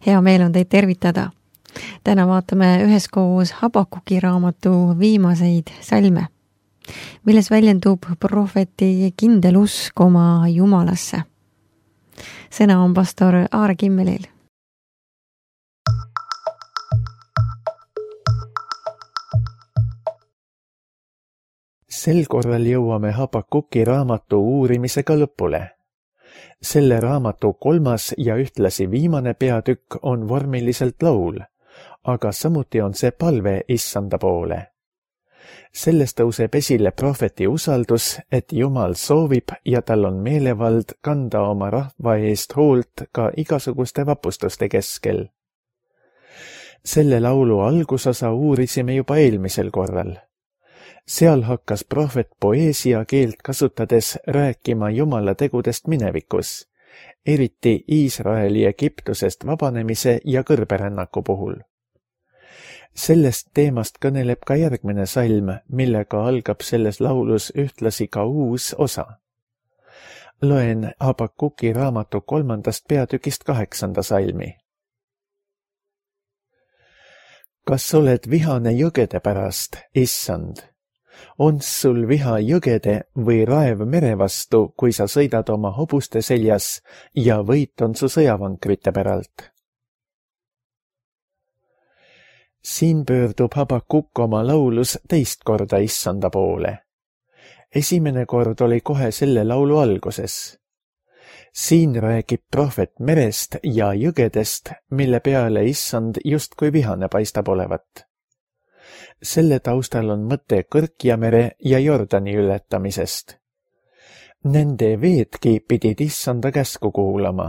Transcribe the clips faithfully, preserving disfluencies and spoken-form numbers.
Hea meel on teid tervitada. Täna vaatame üheskoos Habakuki raamatu viimaseid salme, milles väljendub prohveti kindel usk oma Jumalasse. Sõna on pastor Aare Kimmelil. Sel korral jõuame Habakuki raamatu uurimisega lõpule. Selle raamatu kolmas ja ühtlasi viimane peatükk on vormiliselt laul, aga samuti on see palve Issanda poole. Sellest tõuseb esile prohveti usaldus, et Jumal soovib ja tal on meelevald kanda oma rahva eest hoolt ka igasuguste vapustuste keskel. Selle laulu algusosa uurisime juba eelmisel korral. Seal hakkas prohvet poeesia keelt kasutades rääkima Jumala tegudest minevikus, eriti Iisraeli Egiptusest vabanemise ja kõrberännaku puhul. Sellest teemast kõneleb ka järgmine salm, millega algab selles laulus ühtlasi ka uus osa. Loen Habakuki raamatu kolmandast peatükist kaheksanda salmi. Kas oled vihane jõgede pärast, Issand? On sul viha jõgede või raev mere vastu, kui sa sõidad oma hobuste seljas ja võit on su sõjavankrite päralt? Siin pöördub Habakuk oma laulus teist korda Issanda poole. Esimene kord oli kohe selle laulu alguses. Siin räägib prohvet merest ja jõgedest, mille peale Issand justkui vihane paistab olevat. Selle taustal on mõte Kõrkjamere ja Jordani ületamisest. Nende veedki pidid Issanda käsku kuulama.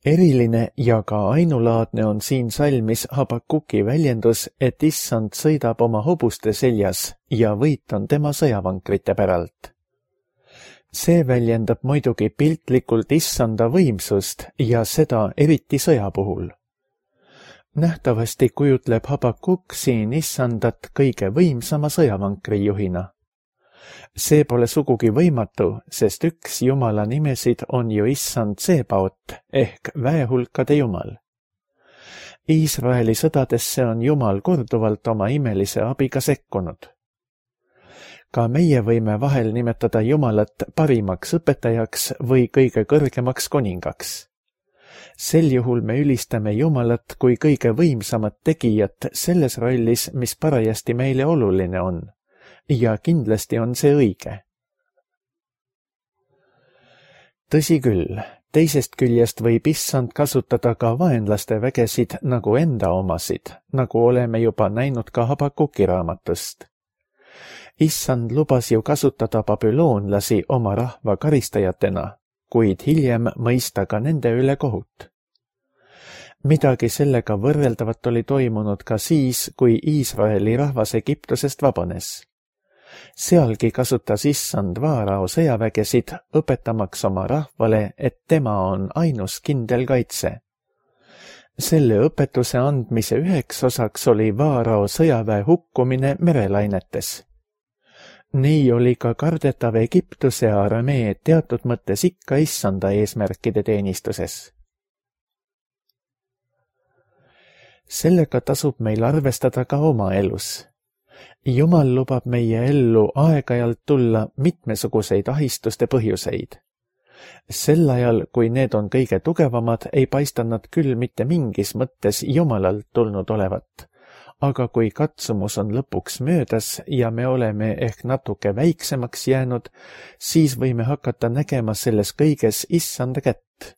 Eriline ja ka ainulaadne on siin salmis Habakuki väljendus, et Issand sõidab oma hobuste seljas ja võit on tema sõjavankrite päralt. See väljendab muidugi piltlikult Issanda võimsust ja seda eriti sõja puhul. Nähtavasti kujutleb Habakuk siin Issandat kõige võimsama sõjavankri juhina. See pole sugugi võimatu, sest üks Jumala nimesid on ju Issand Tsebaot ehk väehulkade Jumal. Iisraeli sõdadesse on Jumal korduvalt oma imelise abiga sekkunud. Ka meie võime vahel nimetada Jumalat parimaks õpetajaks või kõige kõrgemaks koningaks. Sel juhul me ülistame Jumalat kui kõige võimsamat tegijat selles rollis, mis parajasti meile oluline on. Ja kindlasti on see õige. Tõsi küll, teisest küljest võib Issand kasutada ka vaenlaste vägesid nagu enda omasid, nagu oleme juba näinud ka Habakuki raamatust. Issand lubas ju kasutada babüloonlasi oma rahva karistajatena, kuid hiljem mõista ka nende üle kohut. Midagi sellega võrreldavat oli toimunud ka siis, kui Iisraeli rahvas Egiptusest vabanes. Sealgi kasutas Issand Vaarao sõjavägesid, õpetamaks oma rahvale, et tema on ainus kindel kaitse. Selle õpetuse andmise üheks osaks oli Vaarao sõjaväe hukkumine merelainetes. Nii oli ka kardetav Egiptuse armee teatud mõttes ikka Issanda eesmärkide teenistuses. Sellega tasub meil arvestada ka oma elus. Jumal lubab meie ellu aeg-ajalt tulla mitmesuguseid ahistuste põhjuseid. Sel ajal, kui need on kõige tugevamad, ei paista nad küll mitte mingis mõttes Jumalalt tulnud olevat. Aga kui katsumus on lõpuks möödas ja me oleme ehk natuke väiksemaks jäänud, siis võime hakata nägema selles kõiges Issanda kätt.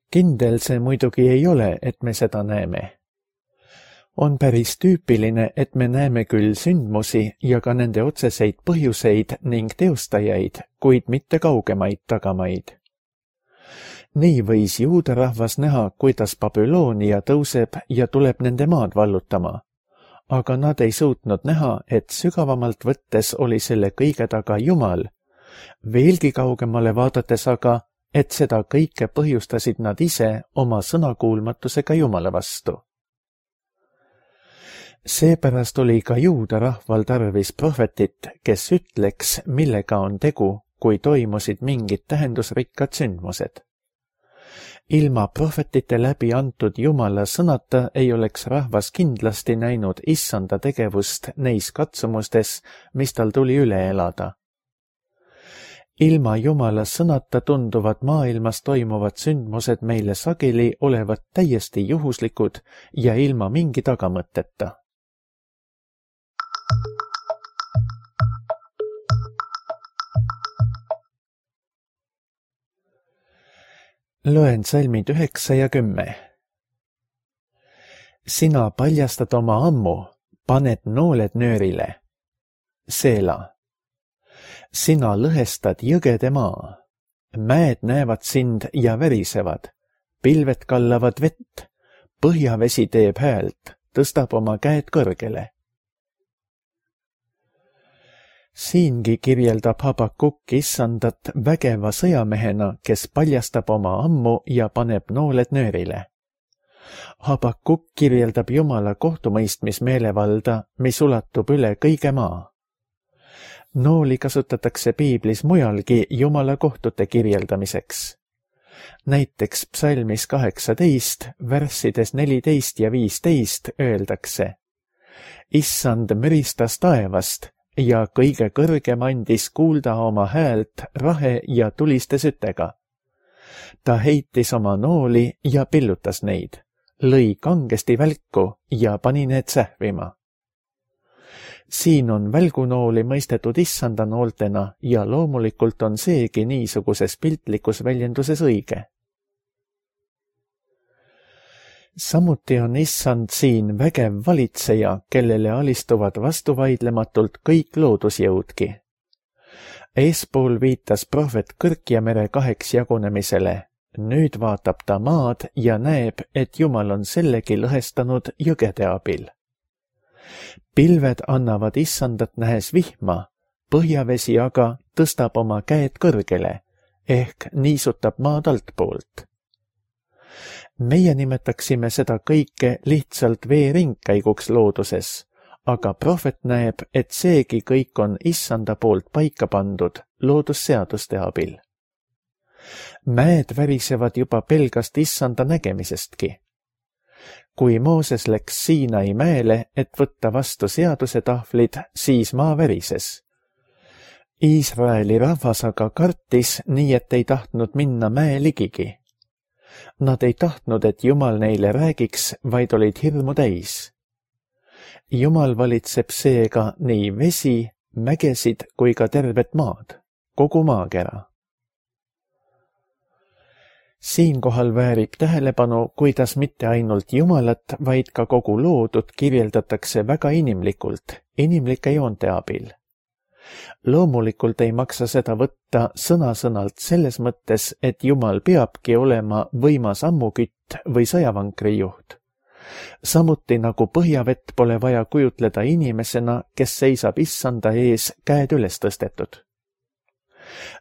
Kindel see muidugi ei ole, et me seda näeme. On päris tüüpiline, et me näeme küll sündmusi ja ka nende otseseid põhjuseid ning teostajaid, kuid mitte kaugemaid tagamaid. Nii võis juuda rahvas näha, kuidas Babyloonia tõuseb ja tuleb nende maad vallutama, aga nad ei suutnud näha, et sügavamalt võttes oli selle kõige taga Jumal, veelgi kaugemale vaadates aga, et seda kõike põhjustasid nad ise oma sõnakuulmatusega Jumala vastu. Seepärast oli ka juuda rahval tarvis prohvetit, kes ütleks, millega on tegu, kui toimusid mingid tähendusrikkad sündmused. ilma prohvetite läbi antud Jumala sõnata ei oleks rahvas kindlasti näinud issanda tegevust neis katsumustes, mis tal tuli üle elada. Ilma Jumala sõnata tunduvad maailmas toimuvad sündmused meile sageli olevat täiesti juhuslikud ja ilma mingi tagamõtteta. Loen salmid üheksa ja kümme. Sina paljastad oma ammu, paned nooled nöörile. Seela. Sina lõhestad jõgede maa. Mäed näevad sind ja värisevad. Pilved kallavad vett. Põhjavesi teeb häält, tõstab oma käed kõrgele. Siingi kirjeldab Habakuk issandat vägeva sõjamehena, kes paljastab oma ammu ja paneb nooled nöörile. Habakuk kirjeldab Jumala kohtumõistmismeelevalda, mis ulatub üle kõige maa. Nooli kasutatakse piiblis mujalgi Jumala kohtute kirjeldamiseks. Näiteks psalmis kaheksateist, värssides neliteist ja viisteist öeldakse: Issand müristas taevast ja kõige kõrgem andis kuulda oma häält rahe ja tuliste sütega. Ta heitis oma nooli ja pillutas neid, lõi kangesti välku ja pani need sähvima. Siin on välgunooli mõistetud issanda nooltena ja loomulikult on seegi niisuguses piltlikus väljenduses õige. Samuti on issand siin vägev valitseja, kellele alistuvad vastuvaidlematult kõik loodusjõudki. Eespool viitas prohvet Kõrkjamere kaheks jagunemisele. Nüüd vaatab ta maad ja näeb, et Jumal on sellegi lõhestanud jõgede abil. Pilved annavad issandat nähes vihma, põhjavesi aga tõstab oma käed kõrgele, ehk niisutab maad altpoolt. Meie nimetaksime seda kõike lihtsalt vee ringkäiguks looduses, aga prohvet näeb, et seegi kõik on issanda poolt paika pandud loodusseaduste abil. Mäed värisevad juba pelgast issanda nägemisestki. Kui Mooses läks Siinai mäele, et võtta vastu seaduse tahvlid, siis maa värises. Iisraeli rahvas aga kartis, nii et ei tahtnud minna mäe ligigi. Nad ei tahtnud, et Jumal neile räägiks, vaid olid hirmu täis. Jumal valitseb seega nii vesi, mägesid kui ka tervet maad, kogu maakera. Siinkohal väärib tähelepanu, kuidas mitte ainult Jumalat, vaid ka kogu loodut kirjeldatakse väga inimlikult, inimlike joonte abil. Loomulikult ei maksa seda võtta sõna-sõnalt selles mõttes, et Jumal peabki olema võimas ammukütt või sõjavankri juht. Samuti nagu põhjavett pole vaja kujutleda inimesena, kes seisab issanda ees käed üles tõstetud.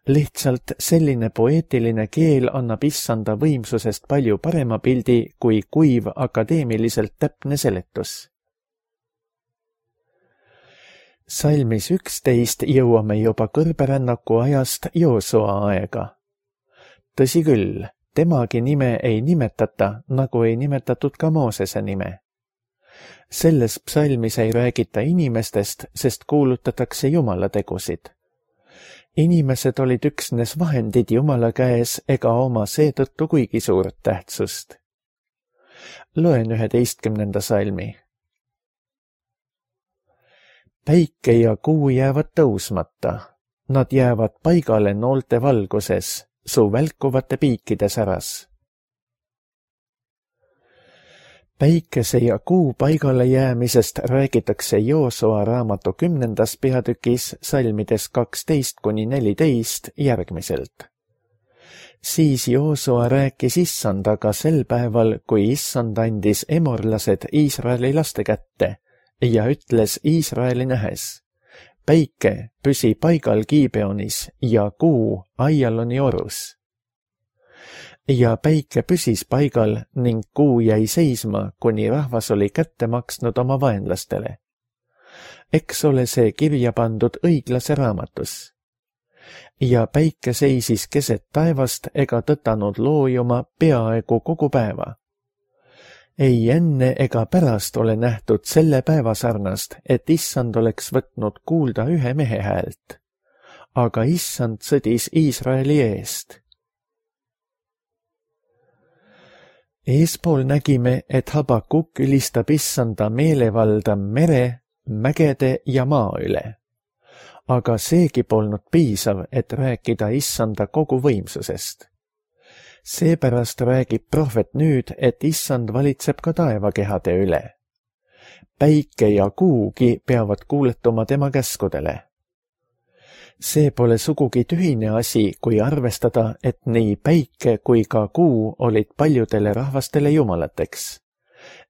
Lihtsalt selline poeetiline keel annab issanda võimsusest palju parema pildi kui kuiv akadeemiliselt täpne seletus. Salmis üksteist jõuame juba kõrberännaku ajast Joosua aega. Tõsi küll, temagi nime ei nimetata, nagu ei nimetatud ka Moosese nime. Selles psalmis ei räägita inimestest, sest kuulutatakse Jumala tegusid. Inimesed olid üksnes vahendid Jumala käes ega oma seetõttu kuigi suurt tähtsust. Loen üheteistkümnenda salmi. Päike ja kuu jäävad tõusmata, nad jäävad paigale noolte valguses, su välkuvate piikide säras. Päikese ja kuu paigale jäämisest räägitakse Joosua raamatu kümnendas peatükis salmides kaksteist kuni neliteist järgmiselt. Siis Joosua rääkis issandaga sel päeval, kui issand andis emorlased Iisraeli laste kätte ja ütles Iisraeli nähes: päike püsi paigal Gibeonis ja kuu Aialoni orus. Ja päike püsis paigal ning kuu jäi seisma, kuni rahvas oli kätte maksnud oma vaenlastele. Eks ole see kirja pandud õiglase raamatus. ja päike seisis keset taevast ega tõtanud loojuma peaaegu kogu päeva. Ei enne ega pärast ole nähtud selle päeva sarnast, et issand oleks võtnud kuulda ühe mehe häält. Aga issand sõdis Iisraeli eest. Eespool nägime, et Habakuk ülistab issanda meelevalda mere, mägede ja maa üle. Aga seegi polnud piisav, et rääkida issanda kogu võimsusest. Seepärast räägib prohvet nüüd, et issand valitseb ka taevakehade üle. Päike ja kuugi peavad kuuletuma tema käskudele. See pole sugugi tühine asi, kui arvestada, et nii päike kui ka kuu olid paljudele rahvastele jumalateks.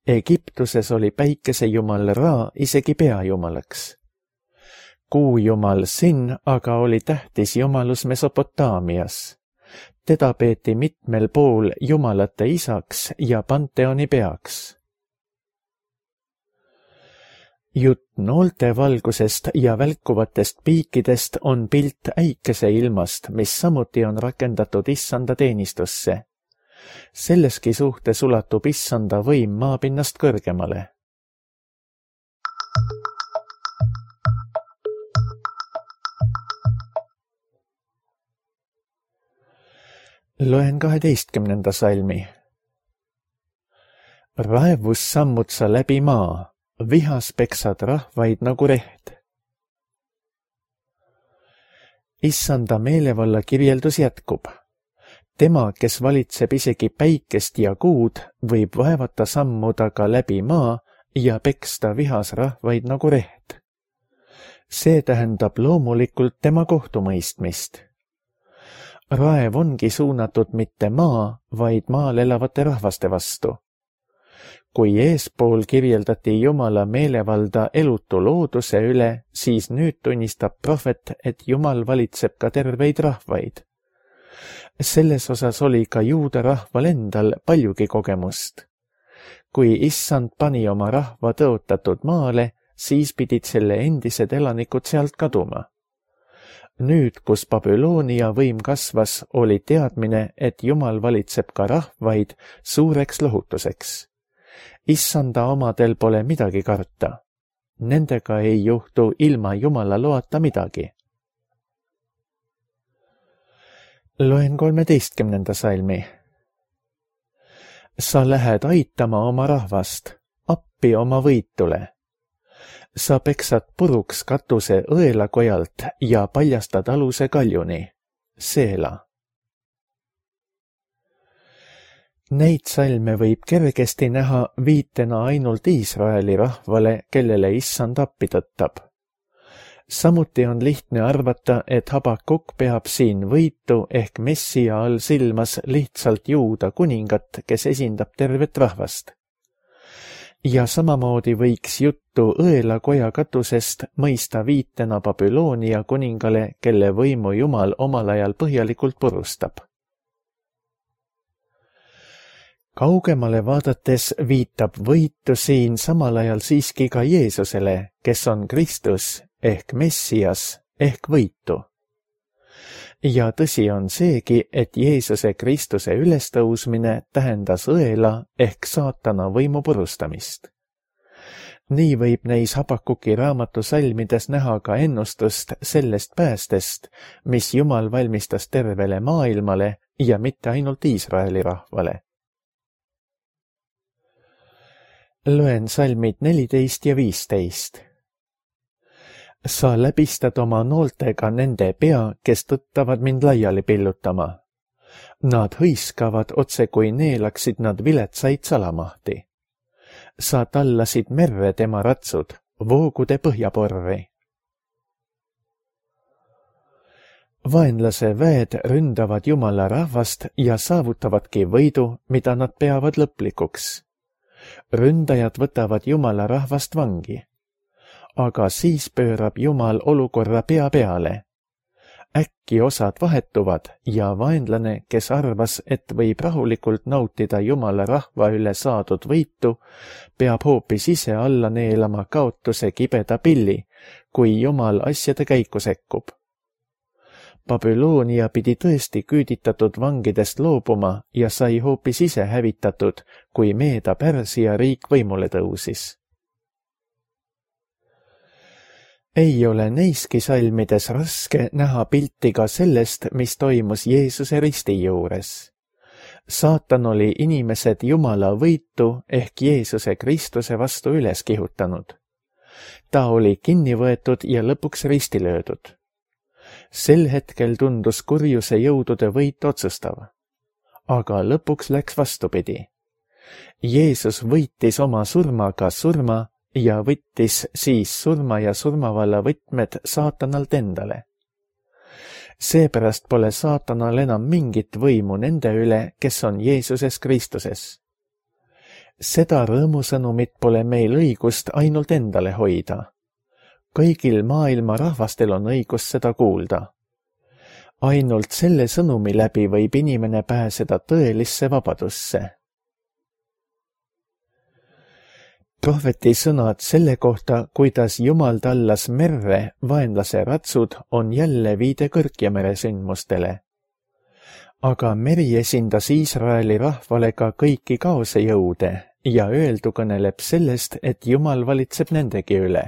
Egiptuses oli päikese jumal Ra isegi peajumalaks. Kuujumal Sin aga oli tähtis jumalus Mesopotaamias. Teda peeti mitmel pool jumalate isaks ja panteoni peaks. Jutt noolte valgusest ja välkuvatest piikidest on pilt äikeseilmast, mis samuti on rakendatud issanda teenistusse. Selleski suhtes ulatub issanda võim maapinnast kõrgemale. Loen kaheteistkümnenda salmi. Raevus sammud sa läbi maa, vihas peksad rahvaid nagu reht. Issanda meelevalla kirjeldus jätkub. Tema, kes valitseb isegi päikest ja kuud, võib vaevata sammuda ka läbi maa ja peksta vihas rahvaid nagu reht. See tähendab loomulikult tema kohtumõistmist. Raev ongi suunatud mitte maa, vaid maal elavate rahvaste vastu. Kui eespool kirjeldati Jumala meelevalda elutu looduse üle, siis nüüd tunnistab prohvet, et Jumal valitseb ka terveid rahvaid. Selles osas oli ka juuda rahval endal paljugi kogemust. Kui issand pani oma rahva tõotatud maale, siis pidid selle endised elanikud sealt kaduma. Nüüd, kus Babyloonia võim kasvas, oli teadmine, et Jumal valitseb ka rahvaid suureks lohutuseks. Issanda omadel pole midagi karta. Nendega ei juhtu ilma Jumala loata midagi. Loen kolmeteistkümnenda salmi. Sa lähed aitama oma rahvast, appi oma võitule. Sa peksad puruks katuse õelakojalt ja paljastad aluse kaljuni. Seela. Neid salme võib kergesti näha viitena ainult Iisraeli rahvale, kellele issand appi tõttab. Samuti on lihtne arvata, et Habakuk peab siin võitu ehk messia all silmas lihtsalt juuda kuningat, kes esindab tervet rahvast. Ja samamoodi võiks juttu õelakoja katusest mõista viitena Babyloonia kuningale, kelle võimu Jumal omal ajal põhjalikult purustab. Kaugemale vaadates viitab võitu siin samal ajal siiski ka Jeesusele, kes on Kristus ehk Messias ehk võitu. Ja tõsi on seegi, et Jeesuse Kristuse ülestõusmine tähendas õela ehk saatana võimu purustamist. Nii võib neis Habakuki raamatu salmides näha ka ennustust sellest päästest, mis Jumal valmistas tervele maailmale ja mitte ainult Iisraeli rahvale. Loen salmid neliteist ja viisteist. Sa läbistad oma nooltega nende pea, kes tõttavad mind laiali pillutama. Nad hõiskavad otse kui neelaksid nad viletsaid salamahti. Sa tallasid merre tema ratsud, voogude põhjaporri. Vaenlase väed ründavad Jumala rahvast ja saavutavadki võidu, mida nad peavad lõplikuks. Ründajad võtavad Jumala rahvast vangi. Aga siis pöörab Jumal olukorra pea peale. Äkki osad vahetuvad ja vaenlane, kes arvas, et võib rahulikult nautida Jumala rahva üle saadud võitu, peab hoopis ise alla neelama kaotuse kibeda pilli, kui Jumal asjade käiku sekkub. Babyloonia pidi tõesti küüditatud vangidest loobuma ja sai hoopis ise hävitatud, kui Meeda-Pärsia riik võimule tõusis. Ei ole neiski salmides raske näha pilti ka sellest, mis toimus Jeesuse risti juures. Saatan oli inimesed Jumala võitu ehk Jeesuse Kristuse vastu üles kihutanud. Ta oli kinni võetud ja lõpuks risti löödud. Sel hetkel tundus kurjuse jõudude võit otsustav. Aga lõpuks läks vastupidi. Jeesus võitis oma surmaga surma ja võttis siis surma ja surmavalla võtmed saatanalt endale. Seepärast pole saatanal enam mingit võimu nende üle, kes on Jeesuses Kristuses. Seda rõõmusõnumit pole meil õigust ainult endale hoida. Kõigil maailma rahvastel on õigus seda kuulda. Ainult selle sõnumi läbi võib inimene pääseda tõelisse vabadusse. Prohveti sõnad selle kohta, kuidas Jumal tallas merre vaenlase ratsud, on jälle viide Kõrgjamere sündmustele. Aga meri esindas Iisraeli rahvale ka kõiki kaose jõude ja öeldu kõneleb sellest, et Jumal valitseb nendegi üle.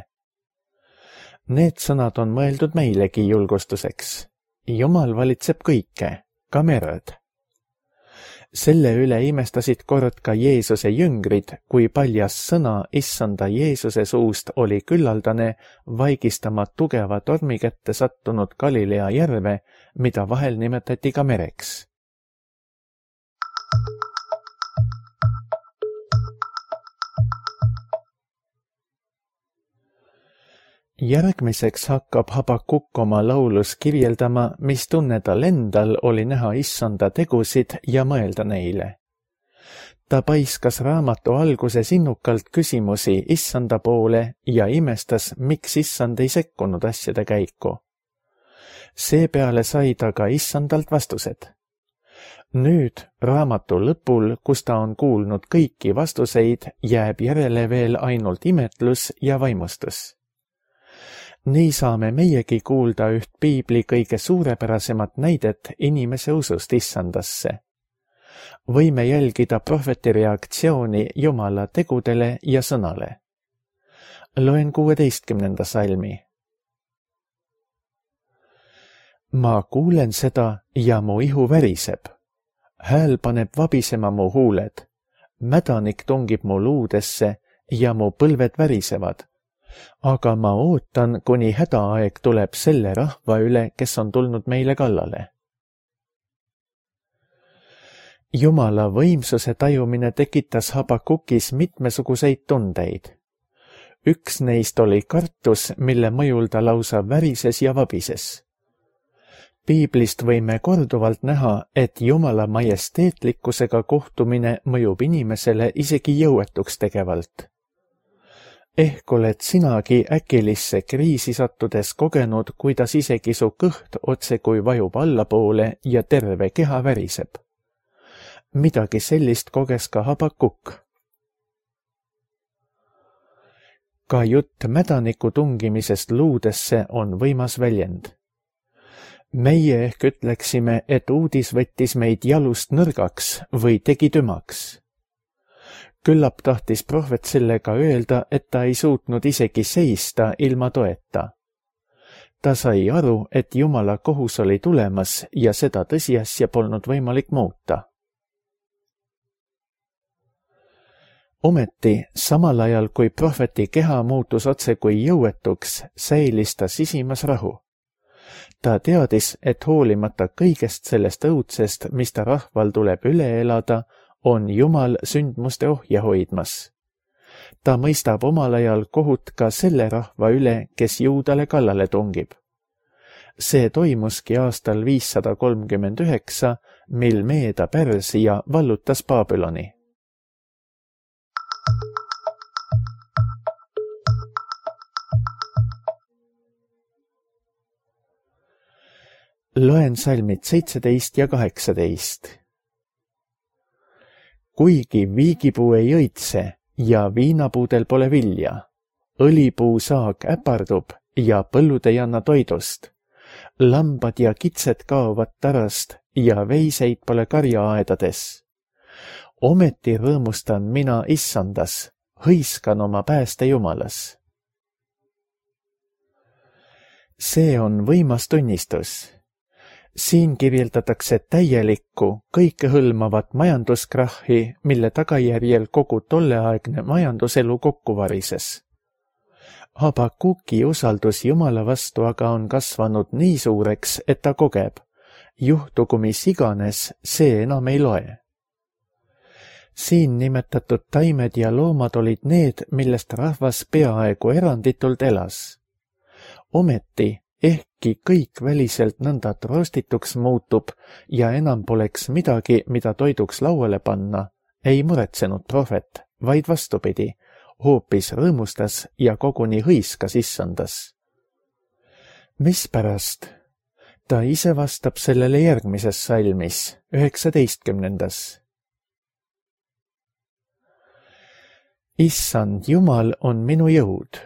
Need sõnad on mõeldud meilegi julgustuseks. Jumal valitseb kõike, ka merd. Selle üle imestasid kord ka Jeesuse jüngrid, kui paljas sõna issanda Jeesuse suust oli küllaldane vaigistama tugeva tormi kätte sattunud Galilea järve, mida vahel nimetati ka mereks. Järgmiseks hakkab Habakuk oma laulus kirjeldama, mis tunne tal endal oli näha issanda tegusid ja mõelda neile. Ta paiskas raamatu alguses innukalt küsimusi issanda poole ja imestas, miks issand ei sekkunud asjade käiku. Seepeale sai ta ka issandalt vastused. Nüüd, raamatu lõpul, kus ta on kuulnud kõiki vastuseid, jääb järele veel ainult imetlus ja vaimustus. Nii saame meiegi kuulda üht piibli kõige suurepärasemat näidet inimese usust issandasse. Võime jälgida prohveti reaktsiooni Jumala tegudele ja sõnale. Loen kuueteistkümnenda salmi. Ma kuulen seda ja mu ihu väriseb. Hääl paneb vabisema mu huuled. Mädanik tungib mu luudesse ja mu põlved värisevad. Aga ma ootan, kuni hädaaeg tuleb selle rahva üle, kes on tulnud meile kallale. Jumala võimsuse tajumine tekitas Habakukis mitmesuguseid tundeid. Üks neist oli kartus, mille mõjul ta lausa värises ja vabises. Piiblist võime korduvalt näha, et Jumala majesteetlikkusega kohtumine mõjub inimesele isegi jõuetuks tegevalt. Ehk oled sinagi äkilisse kriisi sattudes kogenud, kuidas isegi su kõht otse kui vajub allapoole ja terve keha väriseb. Midagi sellist koges ka Habakuk. Ka jutt mädaniku tungimisest luudesse on võimas väljend. Meie ehk ütleksime, et uudis võttis meid jalust nõrgaks või tegi tümaks. Küllap tahtis prohvet sellega öelda, et ta ei suutnud isegi seista ilma toeta. Ta sai aru, et Jumala kohus oli tulemas ja seda tõsiasja polnud võimalik muuta. Ometi, samal ajal kui prohveti keha muutus otse kui jõuetuks, säilis ta sisimas rahu. Ta teadis, et hoolimata kõigest sellest õudsest, mis ta rahval tuleb üle elada, on Jumal sündmuste ohja hoidmas. Ta mõistab omal ajal kohut ka selle rahva üle, kes Juudale kallale tungib. See toimuski aastal viissada kolmkümmend üheksa, mil Meeda-Pärsia vallutas Babyloni. Loen salmid seitseteist ja kaheksateist. Kuigi viigipuu ei õitse ja viinapuudel pole vilja, õlipuu saak äpardub ja põllud ei anna toidust, lambad ja kitsed kaovad tarast ja veiseid pole karjaaedades. Ometi rõõmustan mina issandas, hõiskan oma pääste Jumalas. See on võimas tunnistus. Siin kirjeldatakse täielikku, kõikehõlmavat majanduskrahhi, mille tagajärjel kogu tolleaegne majanduselu kokku varises. Habakuki usaldus Jumala vastu aga on kasvanud nii suureks, et ta kogeb. Juhtugu mis iganes, see enam ei loe. Siin nimetatud taimed ja loomad olid need, millest rahvas peaaegu eranditult elas. Ometi, ehkki kõik väliselt nõnda troostituks muutub ja enam poleks midagi, mida toiduks lauale panna, ei muretsenud prohvet, vaid vastupidi, hoopis rõõmustas ja koguni hõiskas issandas. Mispärast? Ta ise vastab sellele järgmises salmis, üheksateistkümnendas. Issand Jumal on minu jõud.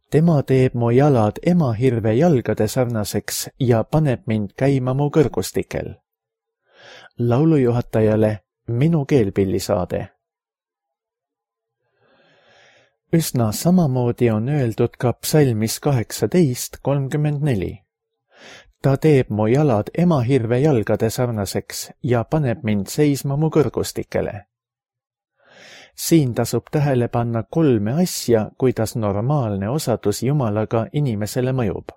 Tema teeb mu jalad emahirve jalgade sarnaseks ja paneb mind käima mu kõrgustikel. Laulujuhatajale minu keelpillisaade. Üsna samamoodi on öeldud ka psalmis kaheksateist kolmkümmend neli. Ta teeb mu jalad emahirve jalgade sarnaseks ja paneb mind seisma mu kõrgustikele. Siin tasub tähele panna kolme asja, kuidas normaalne osadus Jumalaga inimesele mõjub.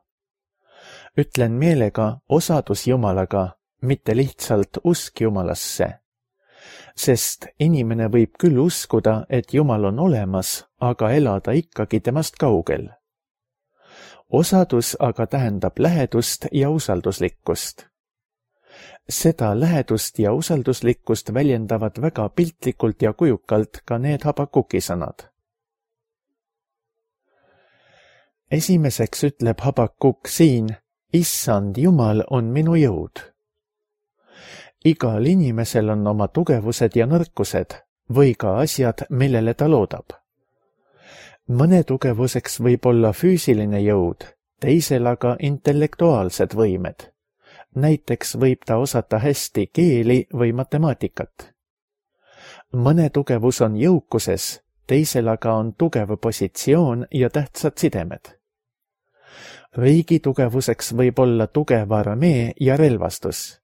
Ütlen meelega osadus Jumalaga, mitte lihtsalt usk Jumalasse. Sest inimene võib küll uskuda, et Jumal on olemas, aga elada ikkagi temast kaugel. Osadus aga tähendab lähedust ja usalduslikkust. Seda lähedust ja usalduslikkust väljendavad väga piltlikult ja kujukalt ka need Habakuki sõnad. Esimeseks ütleb Habakuk siin, Issand Jumal on minu jõud. Igal inimesel on oma tugevused ja nõrkused või ka asjad, millele ta loodab. Mõne tugevuseks võib olla füüsiline jõud, teisel aga intellektuaalsed võimed. Näiteks võib ta osata hästi keeli või matemaatikat. Mõne tugevus on jõukuses, teisel aga on tugev positsioon ja tähtsad sidemed. Riigi tugevuseks võib olla tugev armee ja relvastus.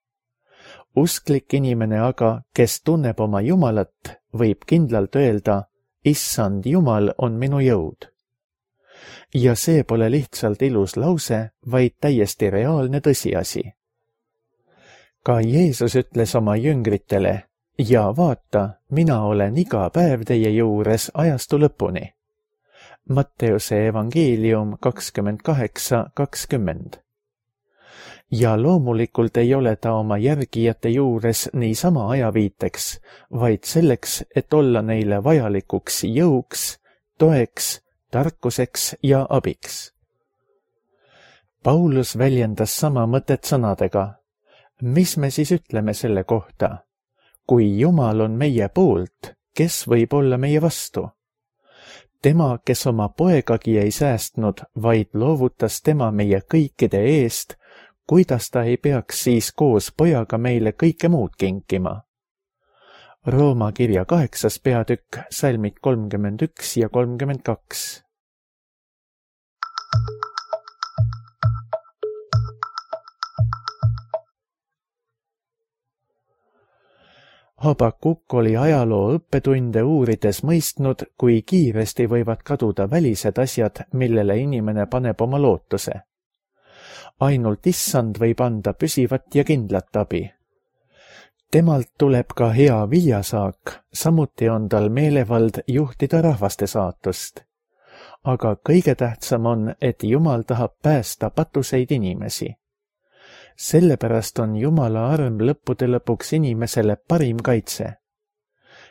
Usklik inimene aga, kes tunneb oma Jumalat, võib kindlalt öelda, Issand Jumal on minu jõud. Ja see pole lihtsalt ilus lause, vaid täiesti reaalne tõsiasi. Ka Jeesus ütles oma jüngritele, ja vaata, mina olen iga päev teie juures ajastu lõpuni. Matteuse evangeelium kakskümmend kaheksa kakskümmend. Ja loomulikult ei ole ta oma järgijate juures niisama ajaviiteks, vaid selleks, et olla neile vajalikuks jõuks, toeks, tarkuseks ja abiks. Paulus väljendas sama mõtet sõnadega. Mis me siis ütleme selle kohta? Kui Jumal on meie poolt, kes võib olla meie vastu? Tema, kes oma poegagi ei säästnud, vaid loovutas tema meie kõikide eest, kuidas ta ei peaks siis koos pojaga meile kõike muud kinkima? Rooma kirja kaheksas peatükk, salmid kolmkümmend üks ja kolmkümmend kaks. Habakuk oli ajaloo õppetunde uurides mõistnud, kui kiiresti võivad kaduda välised asjad, millele inimene paneb oma lootuse. Ainult Issand võib anda püsivat ja kindlat abi. Temalt tuleb ka hea viljasaak, samuti on tal meelevald juhtida rahvaste saatust. Aga kõige tähtsam on, et Jumal tahab päästa patuseid inimesi. Sellepärast on Jumala arm lõppude lõpuks inimesele parim kaitse.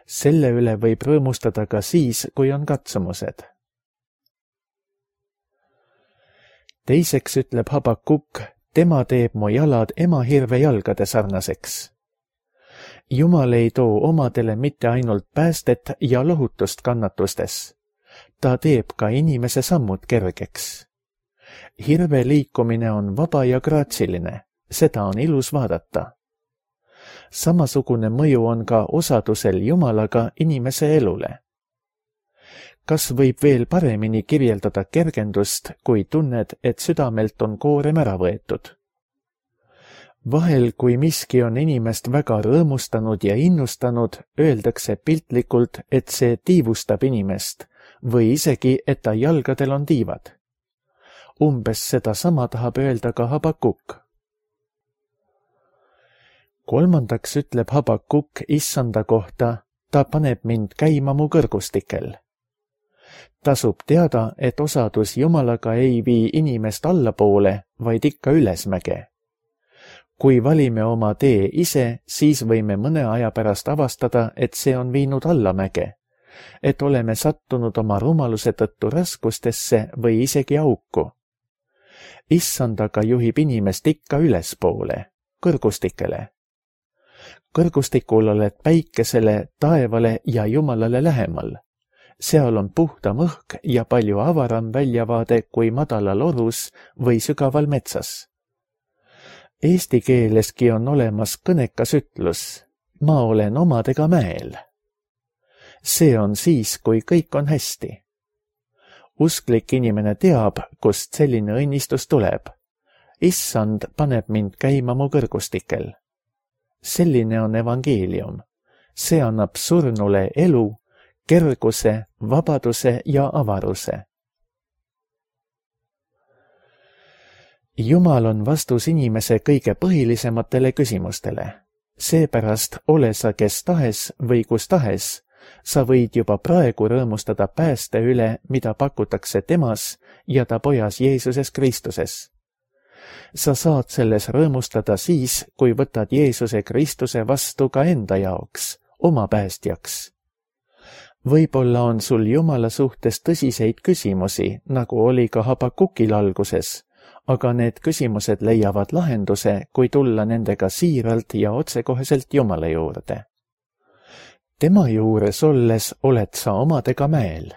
Selle üle võib rõõmustada ka siis, kui on katsumused. Teiseks ütleb Habakuk, tema teeb mu jalad emahirve jalgade sarnaseks. Jumal ei too omadele mitte ainult päästet ja lohutust kannatustes. Ta teeb ka inimese sammud kergeks. Hirve liikumine on vaba ja graatsiline, seda on ilus vaadata. Samasugune mõju on ka osadusel Jumalaga inimese elule. Kas võib veel paremini kirjeldada kergendust, kui tunned, et südamelt on koorem ära võetud? Vahel, kui miski on inimest väga rõõmustanud ja innustanud, öeldakse piltlikult, et see tiivustab inimest või isegi, et ta jalgadel on tiivad. Umbes seda sama tahab öelda ka Habakuk. Kolmandaks ütleb Habakuk issanda kohta, ta paneb mind käima mu kõrgustikel. Tasub teada, et osadus Jumalaga ei vii inimest allapoole, vaid ikka ülesmäge. Kui valime oma tee ise, siis võime mõne aja pärast avastada, et see on viinud allamäge, et oleme sattunud oma rumaluse tõttu raskustesse või isegi auku. Issandaga juhib inimest ikka ülespoole, kõrgustikele. Kõrgustikul oled päikesele, taevale ja Jumalale lähemal. Seal on puhtam õhk ja palju avaram väljavaade kui madalal orus või sügaval metsas. Eesti keeleski on olemas kõnekas ütlus, ma olen omadega mäel. See on siis, kui kõik on hästi. Usklik inimene teab, kust selline õnnistus tuleb. Issand paneb mind käima mu kõrgustikel. Selline on evangeelium. See annab surnule elu, kerguse, vabaduse ja avaruse. Jumal on vastus inimese kõige põhilisematele küsimustele. Seepärast ole sa kes tahes või kus tahes, sa võid juba praegu rõõmustada pääste üle, mida pakutakse temas ja ta pojas Jeesuses Kristuses. Sa saad selles rõõmustada siis, kui võtad Jeesuse Kristuse vastu ka enda jaoks, oma päästjaks. Võib-olla on sul Jumala suhtes tõsiseid küsimusi, nagu oli ka Habakukil alguses, aga need küsimused leiavad lahenduse, kui tulla nendega siiralt ja otsekoheselt Jumala juurde. Tema juures olles oled sa omadega mäel.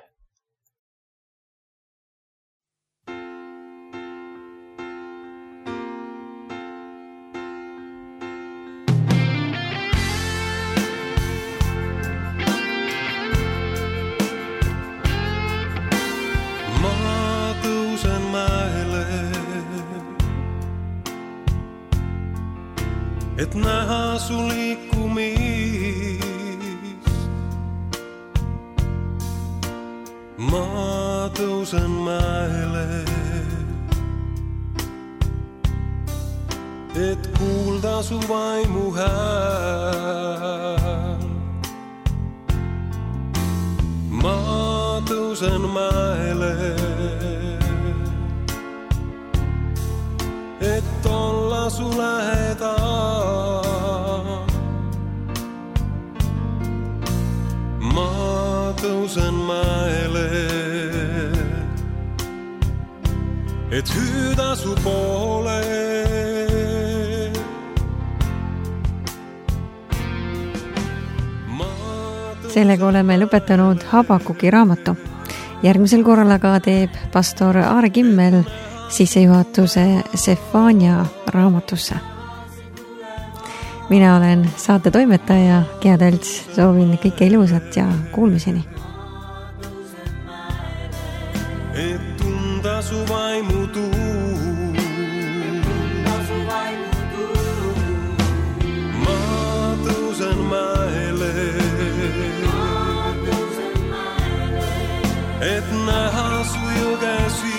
Et näha su liikumist. Ma tõusen mäele, et kuulda su vaimu hääl. Ma tõusen mäele, et olla su lähedal. Ma tõusen mäele, et hüüda su poole. Sellega oleme lõpetanud Habakuki raamatu. Järgmisel korral aga teeb pastor Aare Kimmel sissejuhatuse Sefania raamatusse. Mina olen saate toimetaja Gea Tölts, soovin kõike ilusat ja kuulmiseni. Et tunda su vaimu tuul, ma tõusen mäele, et näha su jõgesi.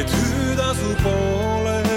Et hüüda su poole.